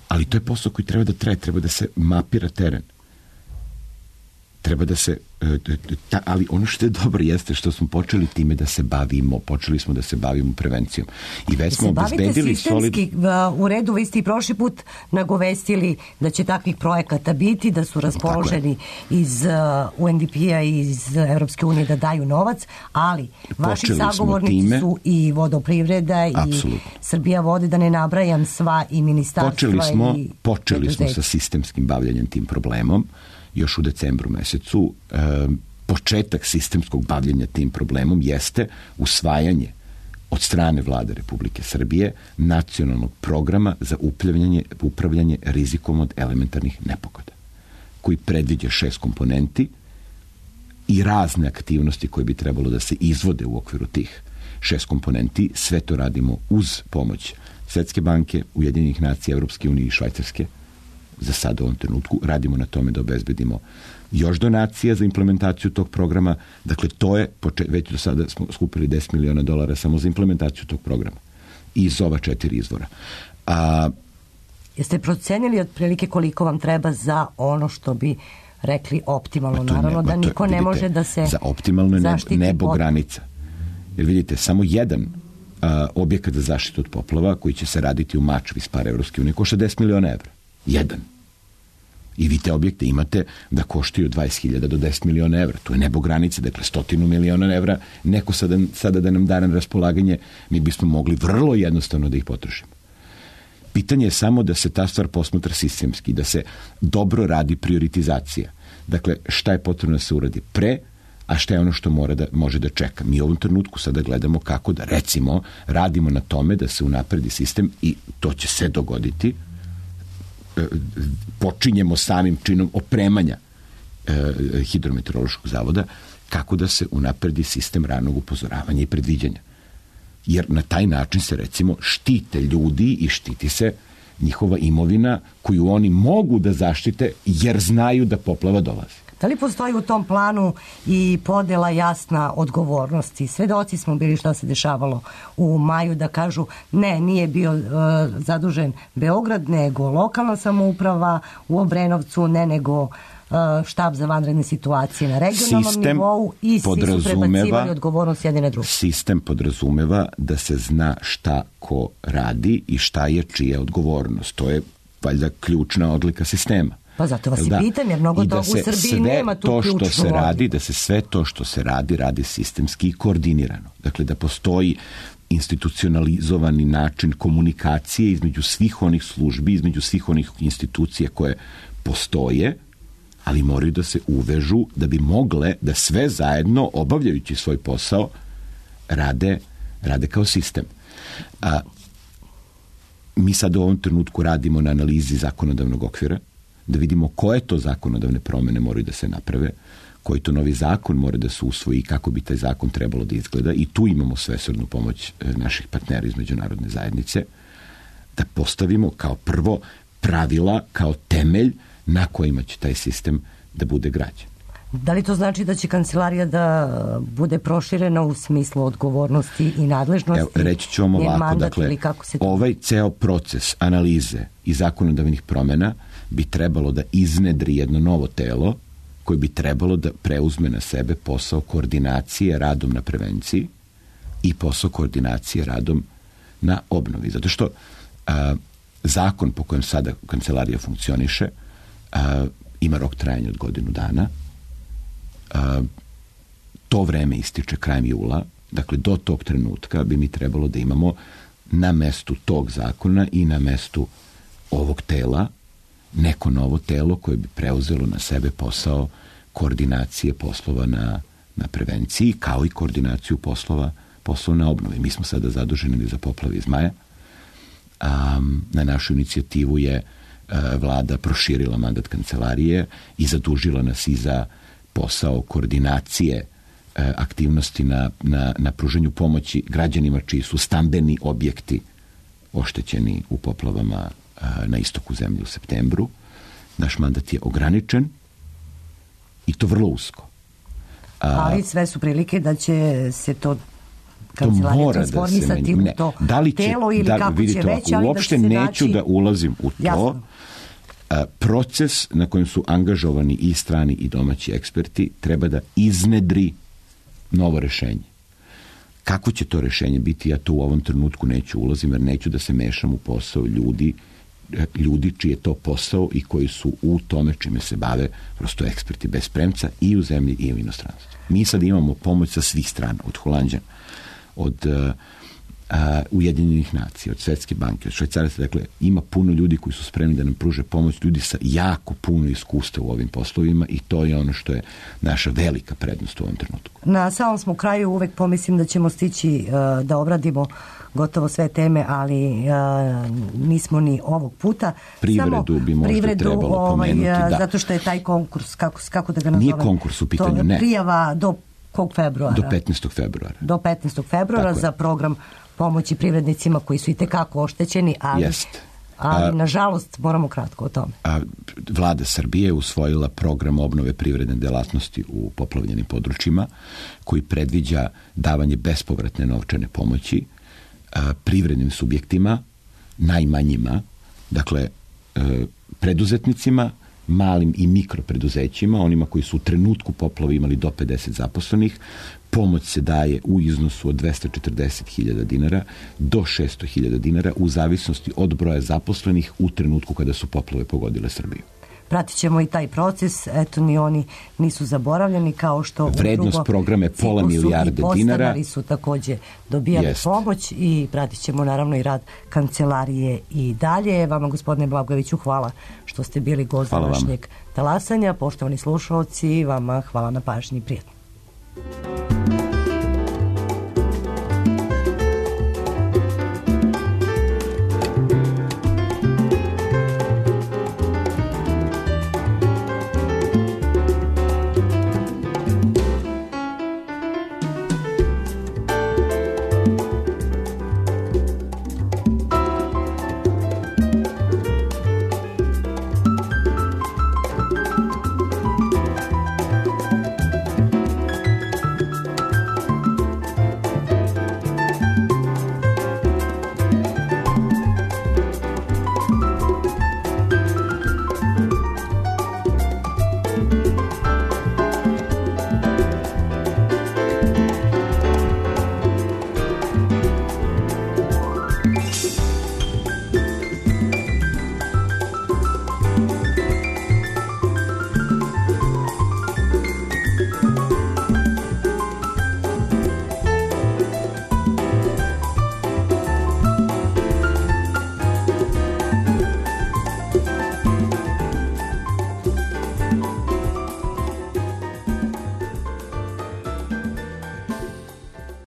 Ali to je posao koji treba da traje, treba da se mapira teren. Treba da se... ali ono što je dobro jeste što smo počeli time da se bavimo. Počeli smo da se bavimo prevencijom. I već smo obezbedili sistemski, u redu, vi ste i prošli put nagovestili da će takvih projekata biti, da su raspoloženi iz UNDP-a i iz Evropske unije da daju novac, ali vaši sagovornici su i vodoprivreda i Srbija vode, da ne nabrajam sva i ministarstva. Počeli smo sa sistemskim bavljanjem tim problemom još u decembru mesecu. Početak sistemskog bavljenja tim problemom jeste usvajanje od strane Vlade Republike Srbije nacionalnog programa za upravljanje rizikom od elementarnih nepogoda, koji predviđa 6 komponenti i razne aktivnosti koje bi trebalo da se izvode u okviru tih 6 komponenti. Sve to radimo uz pomoć Svetske banke, Ujedinjenih nacija, Evropske unije i Švajcarske. Za sad u ovom trenutku radimo na tome da obezbedimo još donacija za implementaciju tog programa. Dakle, to je, već do sada smo skupili $10 miliona samo za implementaciju tog programa. Iz ova 4 izvora. Jeste procenili otprilike koliko vam treba za ono što bi rekli optimalno? Naravno da niko ne može da se za optimalno je nebo granica. Jer vidite, samo jedan objekat za zaštitu od poplava koji će se raditi u Mačvi iz para Evropske unije košta $10 miliona evra. Jedan. I vi te objekte imate da koštaju 20.000 do 10 miliona evra. To je nebo granice, dakle 100 miliona evra. Neko sada da nam da na raspolaganje, mi bismo mogli vrlo jednostavno da ih potrošimo. Pitanje je samo da se ta stvar posmatra sistemski, da se dobro radi prioritizacija. Dakle, šta je potrebno da se uradi pre, a šta je ono što može da čeka. Mi u ovom trenutku sada gledamo kako da, recimo, radimo na tome da se unapredi sistem i to će se dogoditi. Počinjemo samim činom opremanja Hidrometeorološkog zavoda kako da se unapredi sistem ranog upozoravanja i predviđanja. Jer na taj način se, recimo, štite ljudi i štiti se njihova imovina koju oni mogu da zaštite jer znaju da poplava dolazi. Da li postoji u tom planu i podela jasna odgovornosti? Svedoci smo bili šta se dešavalo u maju, da kažu ne, nije bio zadužen Beograd, nego lokalna samouprava u Obrenovcu, ne nego štab za vanredne situacije na regionalnom nivou i svi su prebacivali odgovornost jedne na druge. Sistem podrazumeva da se zna šta ko radi i šta je čija odgovornost. To je valjda ključna odlika sistema. Pa zato vas i pitam, jer mnogo toga u Srbiji nema tu ključnu odliku. Da se sve to što se radi sistemski i koordinirano. Dakle, da postoji institucionalizovani način komunikacije između svih onih službi, između svih onih institucija koje postoje, ali moraju da se uvežu da bi mogle da sve zajedno, obavljajući svoj posao, rade kao sistem. Mi sad u ovom trenutku radimo na analizi zakonodavnog okvira, da vidimo koje to zakonodavne promene moraju da se naprave, koji to novi zakon mora da se usvoji i kako bi taj zakon trebalo da izgleda. I tu imamo svesrdnu pomoć naših partnera iz međunarodne zajednice. da postavimo kao prvo pravila, kao temelj na kojima će taj sistem da bude građen. Da li to znači da će kancelarija da bude proširena u smislu odgovornosti i nadležnosti? Evo, reći ću vam ovako, dakle, ovaj ceo proces analize i zakonodavnih promjena bi trebalo da iznedri jedno novo telo koje bi trebalo da preuzme na sebe posao koordinacije radom na prevenciji i posao koordinacije radom na obnovi. Zato što zakon po kojem sada kancelarija funkcioniše ima rok trajanja od godinu dana. To vreme ističe krajem jula. Dakle, do tog trenutka bi mi trebalo da imamo na mestu tog zakona i na mestu ovog tela neko novo telo koje bi preuzelo na sebe posao koordinacije poslova na prevenciji, kao i koordinaciju poslova na obnovi. Mi smo sada zaduženi za poplave iz maja. Na našu inicijativu je vlada proširila mandat kancelarije i zadužila nas i za posao koordinacije aktivnosti na pružanju pomoći građanima čiji su stambeni objekti oštećeni u poplavama na istoku zemlje u septembru. Naš mandat je ograničen i to vrlo usko. Ali sve su prilike da će se to kancelarija transformisati u to telo ili kako će već, ali uopšte da će se neću da ulazim u to. Jasno. Proces na kojem su angažovani i strani i domaći eksperti treba da iznedri novo rešenje. Kako će to rešenje biti, ja to u ovom trenutku neću ulazim, jer neću da se mešam u posao ljudi čiji je to posao i koji su u tome čime se bave prosto eksperti bez premca i u zemlji i u inostranstvu. Mi sad imamo pomoć sa svih strana, od Holanđana, od Ujedinjenih nacija, od Svetske banke, od Švajcaraca. Dakle, ima puno ljudi koji su spremni da nam pruže pomoć, ljudi sa jako puno iskustva u ovim poslovima i to je ono što je naša velika prednost u ovom trenutku. Na samom smo kraju, uvek pomislim da ćemo stići da obradimo gotovo sve teme, ali nismo ni ovog puta. Privredu bi možda trebalo pomenuti. Da. Zato što je taj konkurs, kako da ga nazovem? Nije konkurs u pitanju, ne. Prijava do kog februara? Do 15. februara. Do 15. februara za program pomoći privrednicima koji su i tekako oštećeni, ali nažalost moramo kratko o tome. Vlada Srbije je usvojila program obnove privredne delatnosti u poplavljenim područjima koji predviđa davanje bespovratne novčane pomoći privrednim subjektima, najmanjima, dakle preduzetnicima, malim i mikropreduzećima, onima koji su u trenutku poplave imali do 50 zaposlenih. Pomoć se daje u iznosu od 240.000 dinara do 600.000 dinara u zavisnosti od broja zaposlenih u trenutku kada su poplave pogodile Srbiju. Pratit ćemo i taj proces, eto ni oni nisu zaboravljeni, kao što vrednost programa je £0,5 milijarde dinara. Podstanari su takođe dobijali pomoć i pratit ćemo naravno i rad kancelarije i dalje. Vama, gospodine Blagojeviću, hvala što ste bili gost današnjeg talasanja. Poštovani slušalci, vama hvala na pažnji, prijatno.